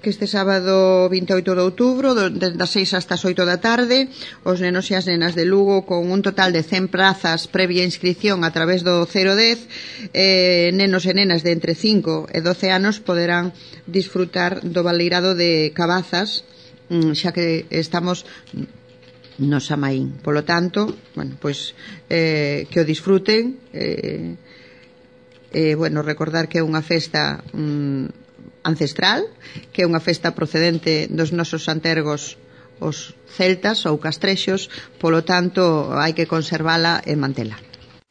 que este sábado 28 de outubro, desde as 6 hasta as 8 da tarde, os nenos e as nenas de Lugo, con un total de 100 prazas previa inscripción a través do 010, nenos e nenas de entre 5 e 12 anos poderán disfrutar do baleirado de Cabazas, xa que estamos no Samaín. Polo tanto, bueno, pois que o disfruten, recordar que é unha festa ancestral, que é unha festa procedente dos nosos antergos, os celtas ou castrexos, polo tanto hai que conservala e mantela.